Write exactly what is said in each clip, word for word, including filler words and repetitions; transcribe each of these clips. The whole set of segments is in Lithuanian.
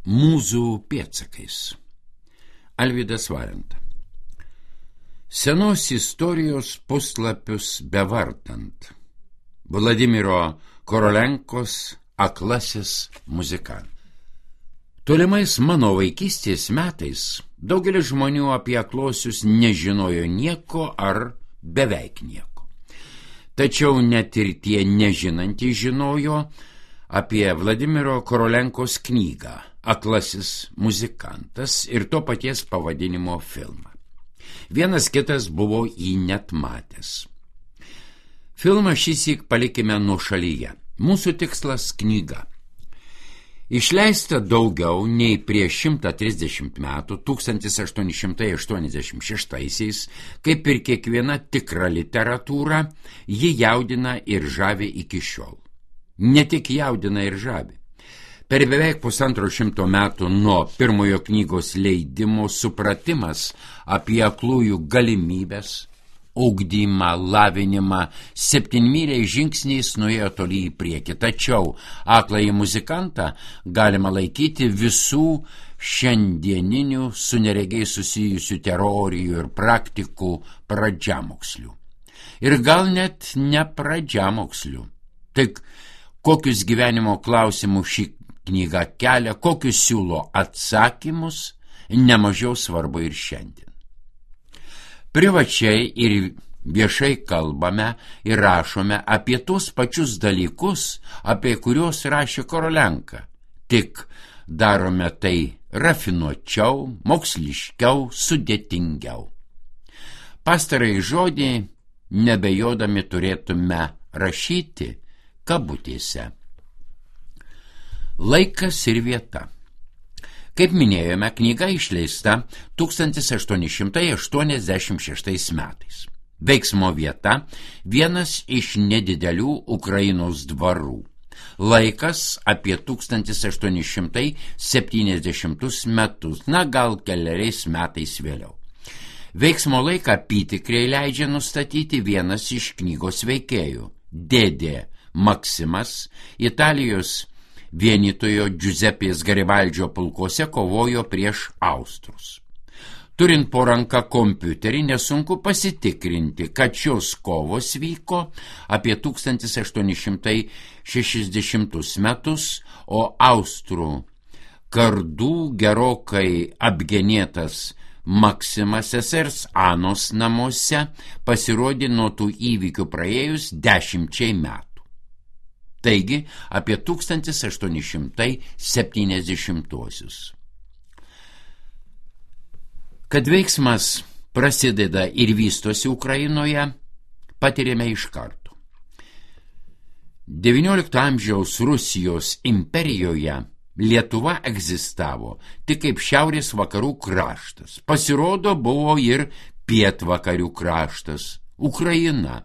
Mūzų pėdsakais. Alvydas Valenta. Senos istorijos puslapius bevartant. Vladimiro Korolenkos Aklasis muzikantas. Tolimais mano vaikystės metais daugelis žmonių apie aklosius nežinojo nieko ar beveik nieko. Tačiau net ir tie nežinantys žinojo apie Vladimiro Korolenkos knygą Aklasis muzikantas ir to paties pavadinimo filmą. Vienas kitas buvo jį net matęs. Filmą šįsyk palikime nuošalyje. Mūsų tikslas – knyga. Išleista daugiau nei prieš šimtą trisdešimt metų, tūkstantis aštuoni šimtai aštuoniasdešimt šeštaisiais, kaip ir kiekviena tikra literatūra, ji jaudina ir žavi iki šiol. Ne tik jaudina ir žavi. Per beveik pusantro šimto metų nuo pirmojo knygos leidimo supratimas apie aklųjų galimybės, ugdymą, lavinimą, septynmyliais žingsniais nuėjo toli į priekį. Tačiau akląjį muzikantą galima laikyti visų šiandieninių su neregiai susijusių teorijų ir praktikų pradžiamokslių. Ir gal net ne pradžiamokslių. Tik kokius gyvenimo klausimus šį knygą kelia, kokius siūlo atsakymus, nemažiau svarbu ir šiandien. Privačiai ir viešai kalbame ir rašome apie tuos pačius dalykus, apie kuriuos rašė Korolenka. Tik darome tai rafinuočiau, moksliškiau, sudėtingiau. Pastarąjį žodį nebejodami turėtume rašyti kabutėse. Laikas ir vieta. Kaip minėjome, knyga išleista tūkstantis aštuoni šimtai aštuoniasdešimt šeštais metais. Veiksmo vieta – vienas iš nedidelių Ukrainos dvarų. Laikas apie tūkstantis aštuoni šimtai septyniasdešimtus metus, na gal keleriais metais vėliau. Veiksmo laiką apytikriai leidžia nustatyti vienas iš knygos veikėjų – dėdė Maksimas, Italijos vienytojo Giuseppės Garibaldžio pulkose kovojo prieš austrus. Turint po ranką kompiuterį, nesunku pasitikrinti, kad šios kovos vyko apie tūkstantis aštuoni šimtai šešiasdešimtus metus, o austrų kardų gerokai apgenėtas Maksimas sesers Anos namuose pasirodė nuo tų įvykių praėjus dešimčiai metų. Taigi apie tūkstantis aštuoni šimtai septyniasdešimtuosius. Kad veiksmas prasideda ir vystosi Ukrainoje, patirėme iš karto. devyniolikto amžiaus Rusijos imperijoje Lietuva egzistavo tik kaip šiaurės vakarų kraštas. Pasirodo, buvo ir pietvakarių kraštas – Ukraina.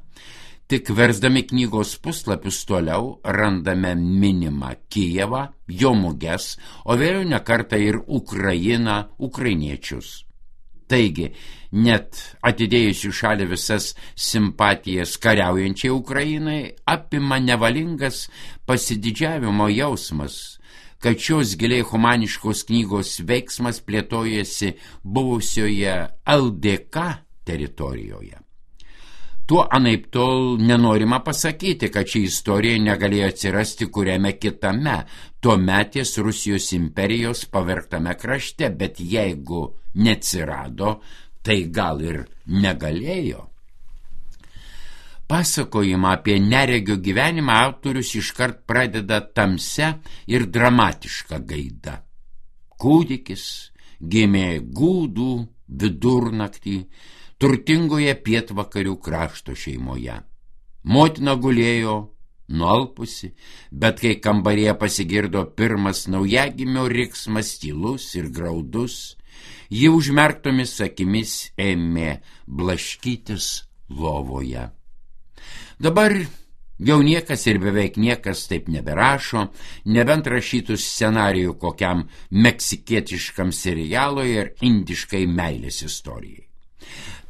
Tik versdami knygos puslapius toliau randame minimą Kijevą, jo muges, o vėliau ne kartą ir Ukrainą, ukrainiečius. Taigi, net atidėjus į šalį visas simpatijas kariaujančiai Ukrainai, apima nevalingas pasididžiavimo jausmas, kad šios giliai humaniškos knygos veiksmas plėtojasi buvusioje L D K teritorijoje. Tuo anaiptol nenorima pasakyti, kad ši istorija negalėjo atsirasti kuriame kitame, tuometės Rusijos imperijos pavergtame krašte, bet jeigu neatsirado, tai gal ir negalėjo. Pasakojimą apie neregio gyvenimą autorius iškart pradeda tamsia ir dramatiška gaida. Kūdikis gimė gūdų vidurnaktį turtingoje pietvakarių krašto šeimoje. Motina gulėjo, nualpusi, bet kai kambaryje pasigirdo pirmas naujagimio riksmas tylus ir graudus, ji užmerktomis akimis ėmė blaškytis lovoje. Dabar jau niekas ir beveik niekas taip neberašo, nebent rašytų scenarijų kokiam meksikietiškam serialui ir indiškai meilės istorijai.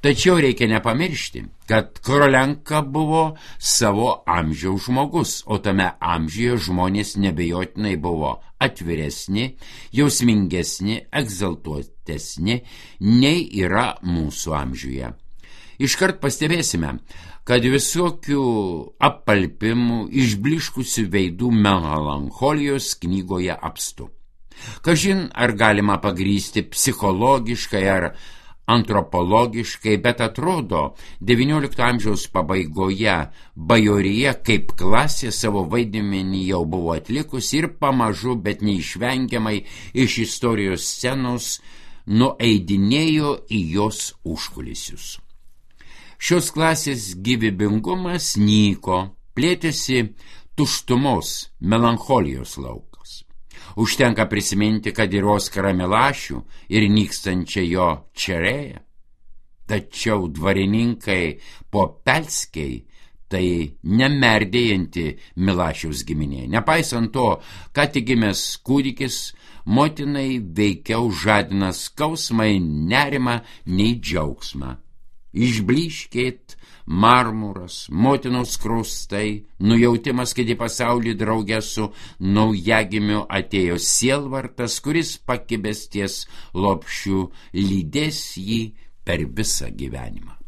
Tačiau reikia nepamiršti, kad Korolenka buvo savo amžiaus žmogus, o tame amžiuje žmonės nebejotinai buvo atviresni, jausmingesni, egzaltuotesni, nei yra mūsų amžiuje. Iškart pastebėsime, kad visokių apalpimų, išbliškusių veidų melancholijos knygoje apstu. Kažin, ar galima pagrysti psichologiškai ar antropologiškai, bet atrodo, devyniolikto amžiaus pabaigoje bajorija kaip klasė savo vaidmenį jau buvo atlikusi ir pamažu, bet neišvengiamai iš istorijos scenos nueidinėjo į jos užkulisius. Šios klasės gyvybingumas nyko, plėtėsi tuštumos, melancholijos laukas. Užtenka prisiminti, kad ir Oskarą Milašių ir nykstančią jo Čerėją. Tačiau dvarininkai Popelskiai tai nemerdėjanti Milašiaus giminė. Nepaisant to, ką tik gimęs kūdikis, motinai veikiau žadina skausmą, nerimą, nei džiaugsmą. Išblyškėt marmuras, motinos kraustai, nujautimas, kad į pasaulį draugę su naujagimiu atėjo sielvartas, kuris pakibęs ties lopšiu lydės jį per visą gyvenimą.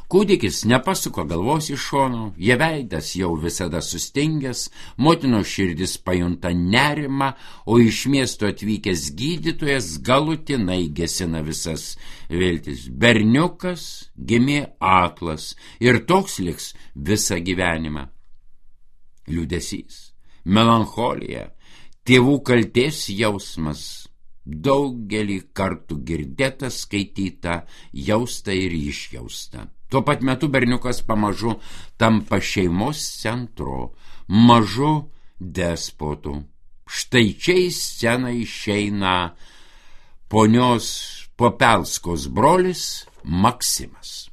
Kūdikis nepasuko galvos iš šono, jo veidas jau visada sustingęs, motinos širdis pajunta nerimą, o iš miesto atvykęs gydytojas galutinai gesina visas viltis. Berniukas gimė aklas ir toks liks visą gyvenimą. Liūdesys, melancholija, tėvų kaltės jausmas, daugelį kartų girdėta, skaityta, jausta ir išjausta. Tuo pat metu berniukas pamažu tampa šeimos centru, mažu despotu. Štai čia į sceną išeina ponios Popelskos brolis Maksimas.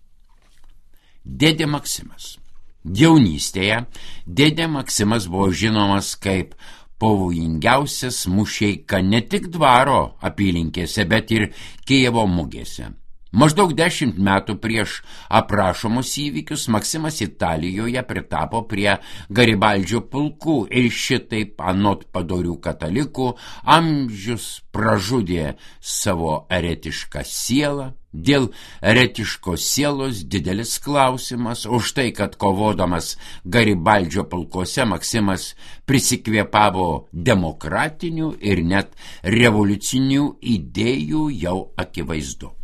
Dėdė Maksimas. Jaunystėje dėdė Maksimas buvo žinomas kaip pavojingiausias mušeika ne tik dvaro apylinkėse, bet ir Kijevo mugėse. Maždaug dešimt metų prieš aprašomus įvykius Maksimas Italijoje pritapo prie Garibaldžio pulkų ir šitaip anot padorių katalikų amžius pražudė savo eretišką sielą. Dėl eretiškos sielos didelis klausimas, už tai, kad kovodamas Garibaldžio pulkuose Maksimas prisikvėpavo demokratinių ir net revoliucinių idėjų, jau akivaizdu.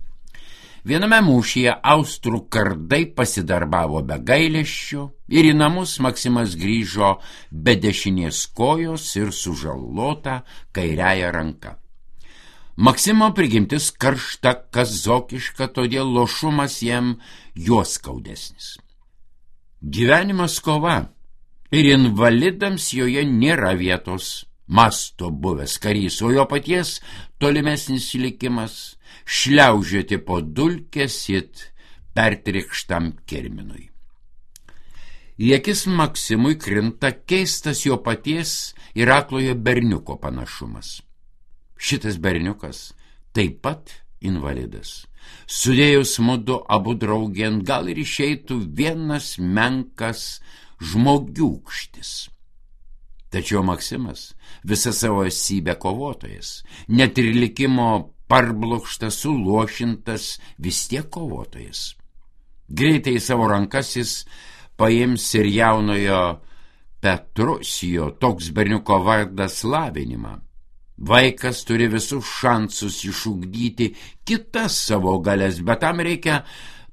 Viename mūšyje austrų kardai pasidarbavo be gailesčio ir į namus Maksimas grįžo be dešinės kojos ir sužalota kairiąja ranka. Maksimo prigimtis karšta, kazokiška, todėl lošumas jam juos skaudesnis. Gyvenimas kova ir invalidams joje nėra vietos, masto buvęs karys, o jo paties tolimesnis likimas šliaužioti po dulkės it pertrikštam kirminui. Į akis Maksimui krinta keistas jo paties ir aklojo berniuko panašumas. Šitas berniukas taip pat invalidas. Sudėjus mudu abu draugėn, gal ir išeitų vienas menkas žmogiūkštis. Tačiau Maksimas visą savo esybę kovotojas, net ir likimo parblokštas, suluošintas, vis tiek kovotojas. Greitai į savo rankas jis paims ir jaunojo Petrusijo, toks berniuko vardas, lavinimą. Vaikas turi visus šansus išugdyti kitas savo galės, bet tam reikia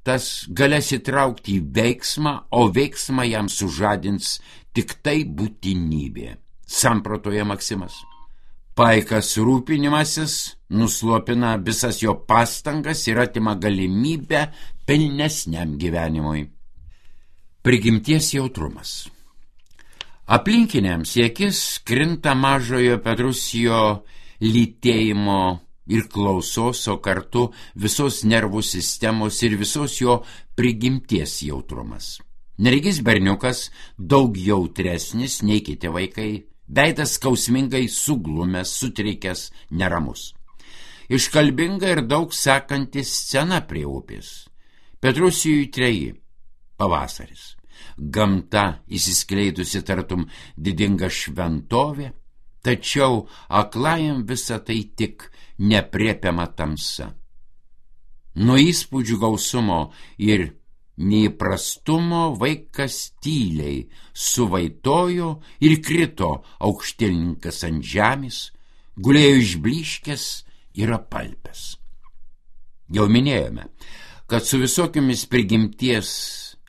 tas galės įtraukti į veiksmą, o veiksmą jam sužadins tik tai būtinybė, samprotoja Maksimas. Paikas rūpinimasis nuslopina visas jo pastangas ir atima galimybę pilnesniam gyvenimui. Prigimties jautrumas. Aplinkiniams į akis krinta mažojo Petrusijo lytėjimo ir klausos, o kartu visos nervų sistemos ir visos jo prigimties jautrumas. Neregys berniukas daug jautresnis nei kiti vaikai, veidas skausmingai suglumęs, sutrikęs, neramus. iškalbinga ir daug sekanti scena prie upės. Petrusijui treji. Pavasaris. Gamta įsiskleidusi tartum didinga šventovė, tačiau aklajam visa tai tik nepriepiama tamsa. Nuo įspūdžių gausumo ir neįprastumo vaikas tyliai suvaitojo ir krito aukštielninkas ant žemės, gulėjo išblyškęs ir apalpęs. Jau minėjome, kad su visokiamis prigimties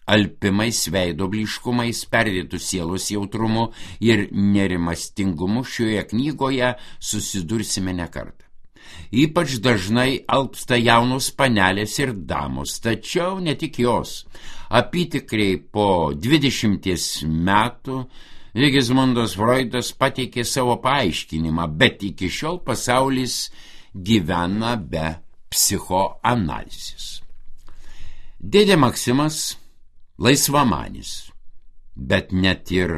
alpimais, veido blyškumais, perdėtų sielos jautrumu ir nerimastingumu šioje knygoje susidursime ne kartą. Ypač dažnai alpsta jaunos panelės ir damos, tačiau ne tik jos. Apytikriai po dvidešimties metų Sigismundas Freudas pateikė savo paaiškinimą, bet iki šiol pasaulis gyvena be psichoanalizės. Dėdė Maksimas laisvamanis, bet net ir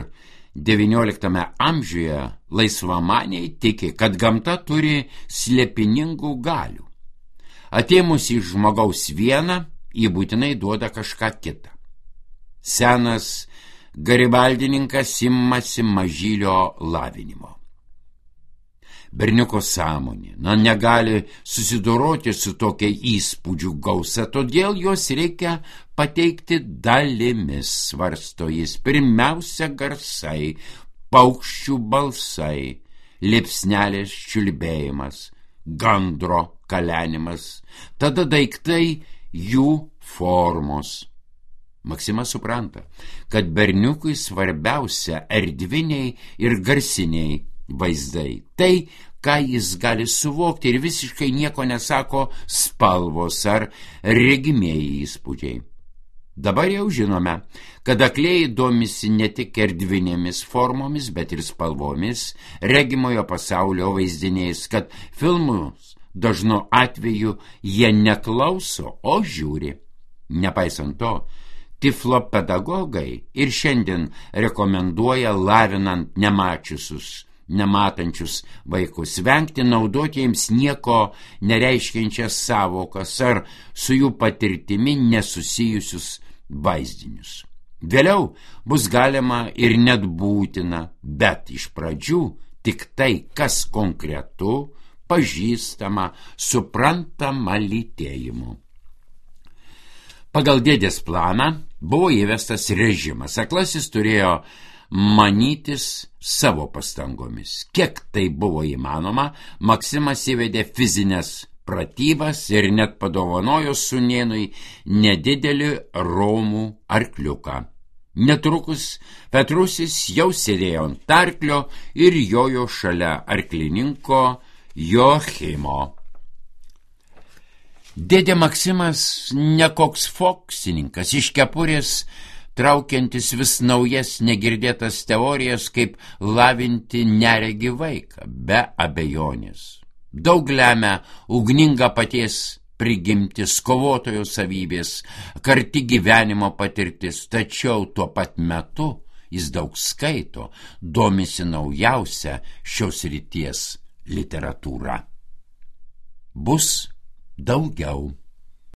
devynioliktame amžiuje laisvamaniai tiki, kad gamta turi slėpiningų galių. Atėmus iš žmogaus vieną, jį būtinai duoda kažką kitą. Senas garibaldininkas imasi mažylio lavinimo. Berniuko sąmonė, na, negali susidoroti su tokia įspūdžių gausa, todėl jos reikia pateikti dalimis, svarsto jis. Pirmiausia garsai, paukščių balsai, liepsnelės čiulbėjimas, gandro kalenimas, tada daiktai, jų formos. Maksimas supranta, kad berniukui svarbiausia erdviniai ir garsiniai vaizdai. Tai, ką jis gali suvokti, ir visiškai nieko nesako spalvos ar regimieji įspūdžiai. Dabar jau žinome, kad aklieji domisi ne tik erdvinėmis formomis, bet ir spalvomis, regimojo pasaulio vaizdiniais, kad filmus dažnu atveju jie neklauso, o žiūri. Nepaisant to, tiflo pedagogai ir šiandien rekomenduoja lavinant nemačiusius, nematančius vaikus vengti naudoti jiems nieko nereiškiančias savokas ar su jų patirtimi nesusijusius vaizdinius. Vėliau bus galima ir net būtina, bet iš pradžių tik tai, kas konkretu, pažįstama, suprantama lytėjimu. Pagal dėdės planą buvo įvestas režimas. Aklasis turėjo manytis savo pastangomis. Kiek tai buvo įmanoma, Maksimas įvedė fizinės pratybas ir net padovanojo sūnėnui nedidelį romų arkliuką. Netrukus Petrusis jau sėdėjo ant arklio ir jojo šalia arklininko Joachimo. Dėdė Maksimas ne koks foksininkas, iš kepurės traukiantis vis naujas negirdėtas teorijas, kaip lavinti neregį vaiką, be abejonės. Daug lemia ugninga paties prigimtis, kovotojo savybės, karti gyvenimo patirtis, tačiau tuo pat metu jis daug skaito, domisi naujausia šios ryties literatūra. Bus daugiau.